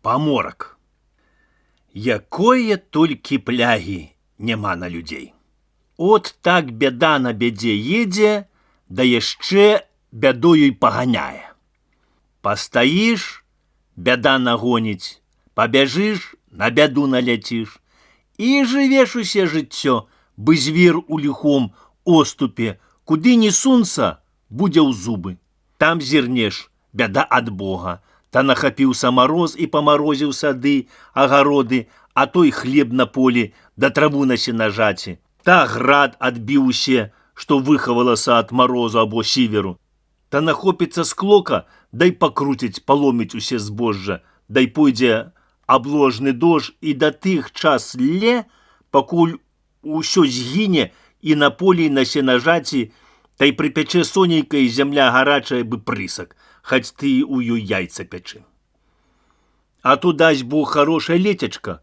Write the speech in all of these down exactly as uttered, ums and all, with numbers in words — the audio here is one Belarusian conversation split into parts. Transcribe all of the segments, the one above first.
Паморак. Якое толькі плягі няма на людзей. От так бяда на бядзе едзе, да яшчэ бядою й паганяе. Пастаіш, бяда нагоніць, пабяжыш, на бяду наляціш. І жывеш усе жыццё, бы звер у ліхом оступе, куды ні сунца, будзе ў зубы. Там зірнеш, бяда ад Бога, та нахапіўся мароз і памарозіў сады, агароды, а той хлеб на полі, да траву на сенажаці. Та град адбіў усе, што выхавалася ад марозу або сіверу. Та нахопіцца склока, дай пакруціць, паломіць усе збожжа, дай пойдзе абложны дождж і да тых час ле, пакуль усё згіне і на полі, і на сенажаці, та й прыпячэ сонейка і зямля гарачая бы прысак, хаць ты у ёй яйца пячы. А то дасць Бог хорошая летячка,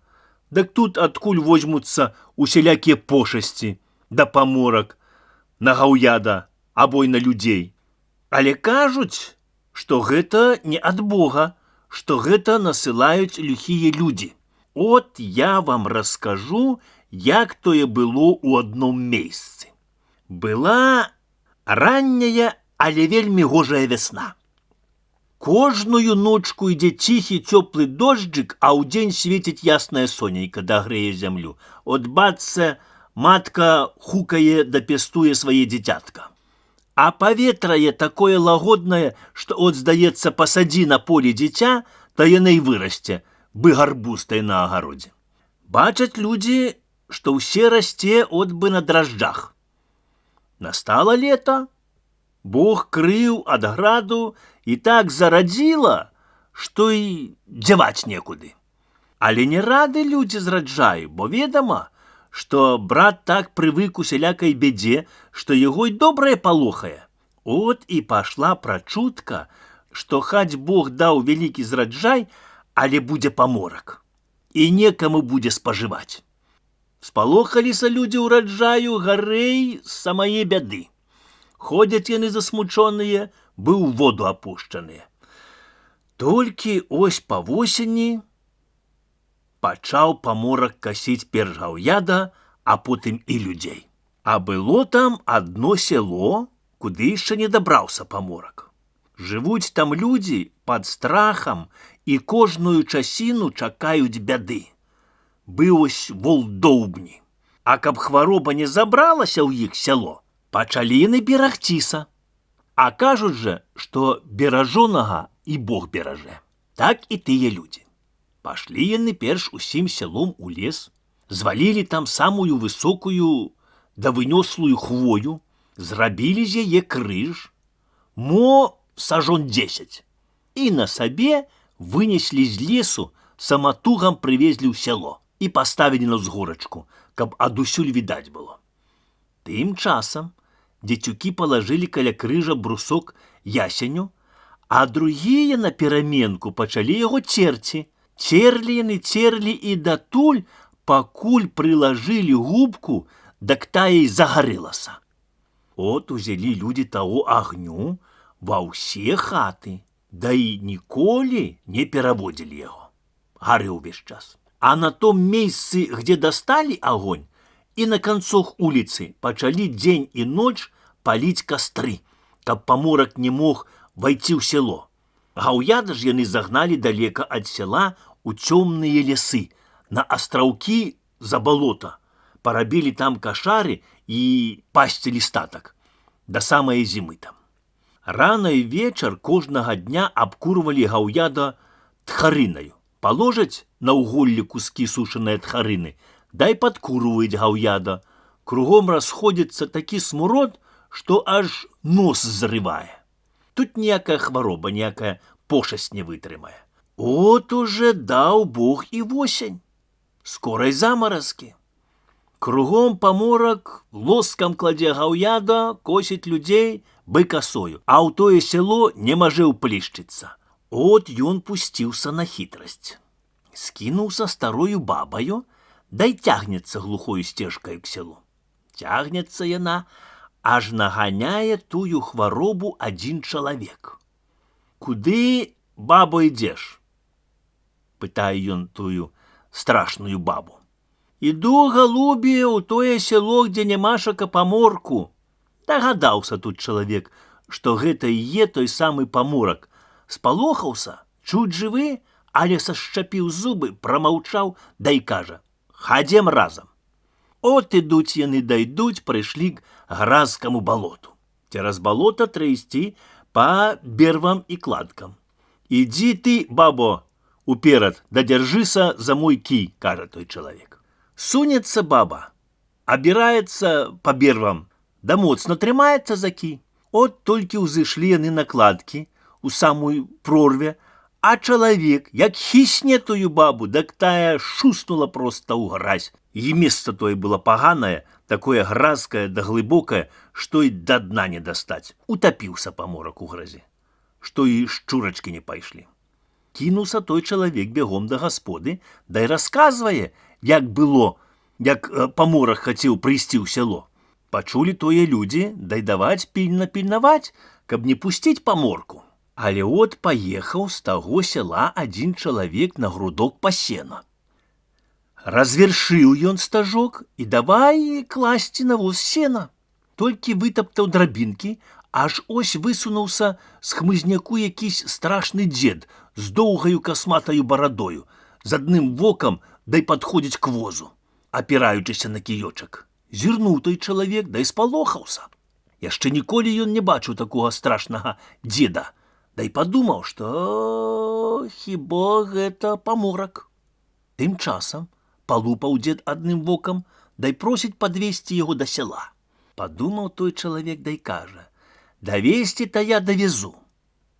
дык тут адкуль возьмуцца усялякія пошасці, да паморак, на гаўяда, або й на людзей. Але кажуць, што гэта не ад Бога, што гэта насылаюць ліхія людзі. От я вам раскажу, як тое было ў адном месцы. Была ранняя, але вельмі гожая вясна. Кожную ночку ідзе ціхі цёплы дожджык, а ўдзень свеціць яснае сонейка, дагрэе зямлю. От бацца, матка хукае да пестуе свае дзіцятка. А паветрае такое лагоднае, што от, здаецца, пасадзі на полі дзіця, то яно і вырасце, бы гарбустай на агародзе. Бачаць людзі, што ўсе расце от бы на дражджах. Настала лета, Бог крыў ад граду і так зарадзіла, што і дзяваць некуды. Але не рады людзі зраджаю, бо ведама, што брат так прывык усялякай бядзе, што яго й добрае палохае. От і пашла прачутка, што хаць Бог даў вялікі зраджай, але будзе паморак, і некаму будзе спажываць. Спалохаліся людзі ўраджаю гарэй з самае бяды. Ходзяць яны засмучоныя, бы ў воду апушчаныя. Толькі ось па восені пачаў паморак касіць перш гаўяда, а потым і людзей. А было там адно сяло, куды яшчэ не дабраўся паморак. Жывуць там людзі пад страхам і кожную часіну чакаюць бяды. Быў ось волдоўбні. А каб хвароба не забралася ў іх сяло, пачалі яны берагціся. А кажуць жа, што беражонага і Бог беражэ. Так і тыя людзі. Пашлі яны перш усім сялом у лес, звалілі там самую высокую да вынёслую хвою, зрабілі з яе крыж, мо сажон дзесяць, і на сабе вынеслі з лесу, саматугам прывезлі ў сяло і паставілі на ўзгорачку, каб адусюль відаць было. Тым часам дзецюкі палажылі каля крыжа брусок ясеню, а другія на пераменку пачалі яго церці. Церлі яны церлі і датуль, пакуль прылажылі губку, дак тая і загарэлася. От узялі людзі таго агню ва ўсе хаты, да і ніколі не пераводзілі яго. Гарэў увесь час. А на том месцы, где дасталі агонь, і на канцох уліцы пачалі дзень і ноч паліць кастры, каб паморак не мог вайці ў сяло. Гаўяда ж яны загналі далека ад сяла у цёмныя лясы, на астраўкі за балота, парабілі там кашары і пасцілі статак, да самае зімы там. Рана і вечар кожнага дня абкурвалі гаўяда тхарынаю. Паложаць на ўголлі кускі сушаныя тхарыны, дай падкурваюць гаўяда. Кругом расходзіцца такі смурод, што аж нос зрывае. Тут ніякая хвароба, ніякая пошасць не вытрымае. От уже даў Бог і восень. Скорай замаразкі. Кругом паморак лоскам кладзе гаўяда, косіць людзей бы касою, а ў тое сяло не мажэ ўплішчыцца. От ён пусціўся на хітрасць. Скінуўся старою бабаю, дай цягнецца глухою сцежкаю к сялу. Цягнецца яна, аж наганяе тую хваробу адзін чалавек. Куды, бабо, ідзеш? пытае ён тую страшную бабу. Іду, галубе, у тое село, где нямашака паморку. Дагадаўся тут чалавек, што гэта і є той самы паморак. Спалохаўся, чуць жывы, але сашчапіў зубы, прамаўчаў, да і кажа: «Хадзем разам». От ідуць яны дайдуць, прыйшлі к гразкаму балоту. Цераз балота трэ ісці па бервам і кладкам. «Ідзі ты, бабо, уперад, да дзяржыся за мой кій», кажа той чалавек. Сунецца баба, абіраецца па бервам, да моцна трымаецца за кій. От толькі ўзышлі яны на кладкі, у самую прорве, а чалавек, як хісне тую бабу, дак тая шуснула проста ў гразь. І месца тое было паганае, такое гразкае да глыбокае, што і да дна не дастаць. Утапіўся паморак у гразі, што і шчурачкі не пайшлі. Кінуўся той чалавек бегом да гасподы, да і расказвае, як было, як паморак хацеў прыйсці ў сяло. Пачулі тое людзі, дай даваць пільна пільнаваць, каб не пусціць паморку. Але от паехаў з таго сяла адзін чалавек на грудок па сена. Развершыў ён стажок і давай класці на воз сена. Толькі вытаптаў драбінкі, аж ось высунуўся з хмызняку якийсь страшны дзед з доўгаю касматаю барадою, з адным вокам дай падходзіць к возу, апіраючыся на кіёчак. Зірнуў той чалавек, дай спалохаўся. Яшчэ ніколі ён не бачыў такога страшнага дзеда, дай падумаў, што хіба гэта паморак. Тым часам палупаў дзед адным вокам, дай просіць падвесці яго да сяла. Падумаў той чалавек, дай кажа: «Давесці-то я давезу.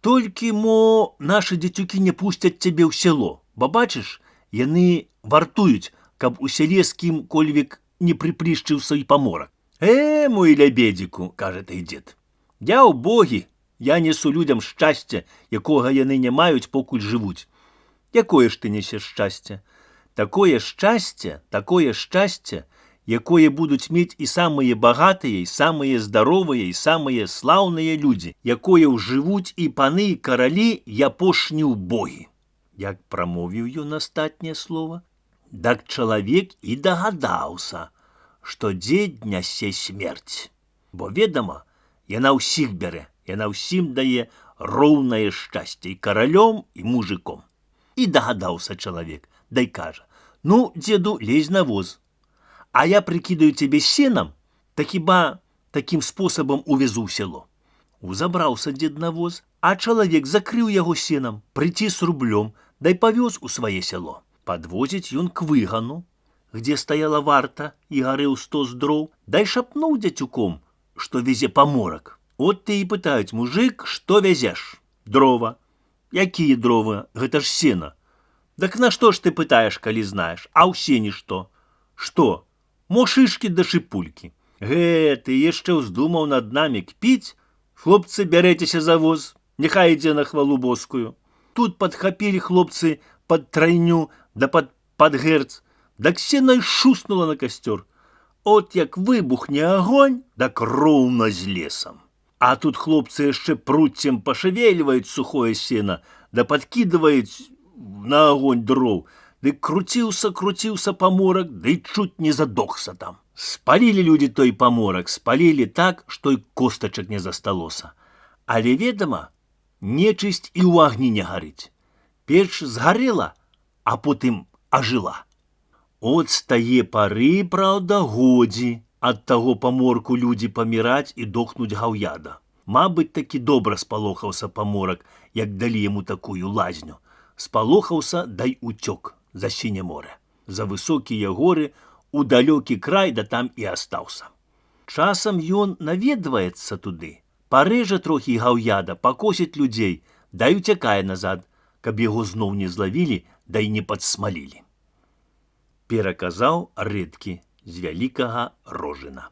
Толькі, мо, нашы дзецюкі не пусцяць цябе ў сяло, бо бачыш, яны вартуюць, каб у сяле з кім-кольвек не прыплішчыўся і паморак». «Э, мой лябедзіку», кажа той дзед, «я ў богі, я несу людям шчасце, якога яны не маюць, покуль жывуць». «Якое ж ты несеш шчасце?» «Такое шчасце, такое шчасце, якое будуць мець і самыя багатыя, і самыя здаровыя, і самыя слаўныя людзі, якое ўжывуць і паны, і каралі, і апошні ўбогі». Як прамовіў ён астатняе слова, дак чалавек і дагадаўся, што дзед нясе смерць. Бо, ведама, яна ўсіх бярэ, яна ўсім дае роўнае шчасце, і каралём, і мужиком. І дагадаўся чалавек, дай кажа: «Ну, дзеду, лезь на воз, а я прыкідаю цябе сенам, так хіба такім спосабам увезу ў сяло». Узабраўся дзед на воз, а чалавек закрыў яго сенам, прыціс рублём, дай павёз у свае сяло. Падвозіць ён к выгану, где стаяла варта і гарэў стос дроў, дай шапнуў дзецюком, што везе паморак. От ты і пытаюць: «Мужик, што вязеш?» «Дрова». «Якія дровы? Гэта ж сена». «Дак на што ж ты пытаеш, калі знаеш? А ў сені што?» «Што? Мо шышкі да шыпулькі». «Гэ, ты яшчэ ўздумаў над намі кпіць? Хлопцы, бярэцеся за воз, няхай ідзе на хвалу боскую». Тут падхапілі хлопцы пад трайню да пад падгэрц, дак сена й шуснула на касцёр. От як выбухне агонь, дак роўна з лесам. А тут хлопцы яшчэ пруццем пашавельваюць сухое сена, да падкідваюць на агонь дроў, ды круціўся, круціўся паморак, ды чуць не задохся там. Спалілі людзі той паморак, спалілі так, што й костачак не засталося. Але, ведама, нечысць і ў агні не гарыць. Печ згарэла, а потым ажыла. От з тае пары, праўда, годзі ад таго паморку людзі паміраць і дохнуць гаўяда. Мабыць, такі добра спалохаўся паморак, як далі яму такую лазню. Спалохаўся, дай уцёк за сіняе море, за высокія горы, у далёкі край, да там і астаўся. Часам ён наведваецца туды, парэжа трохі гаўяда, пакосіць людзей, дай уцякае назад, каб яго зноў не злавілі, дай не падсмалілі. Пераказаў Рэдкі з Вялікага Рожына.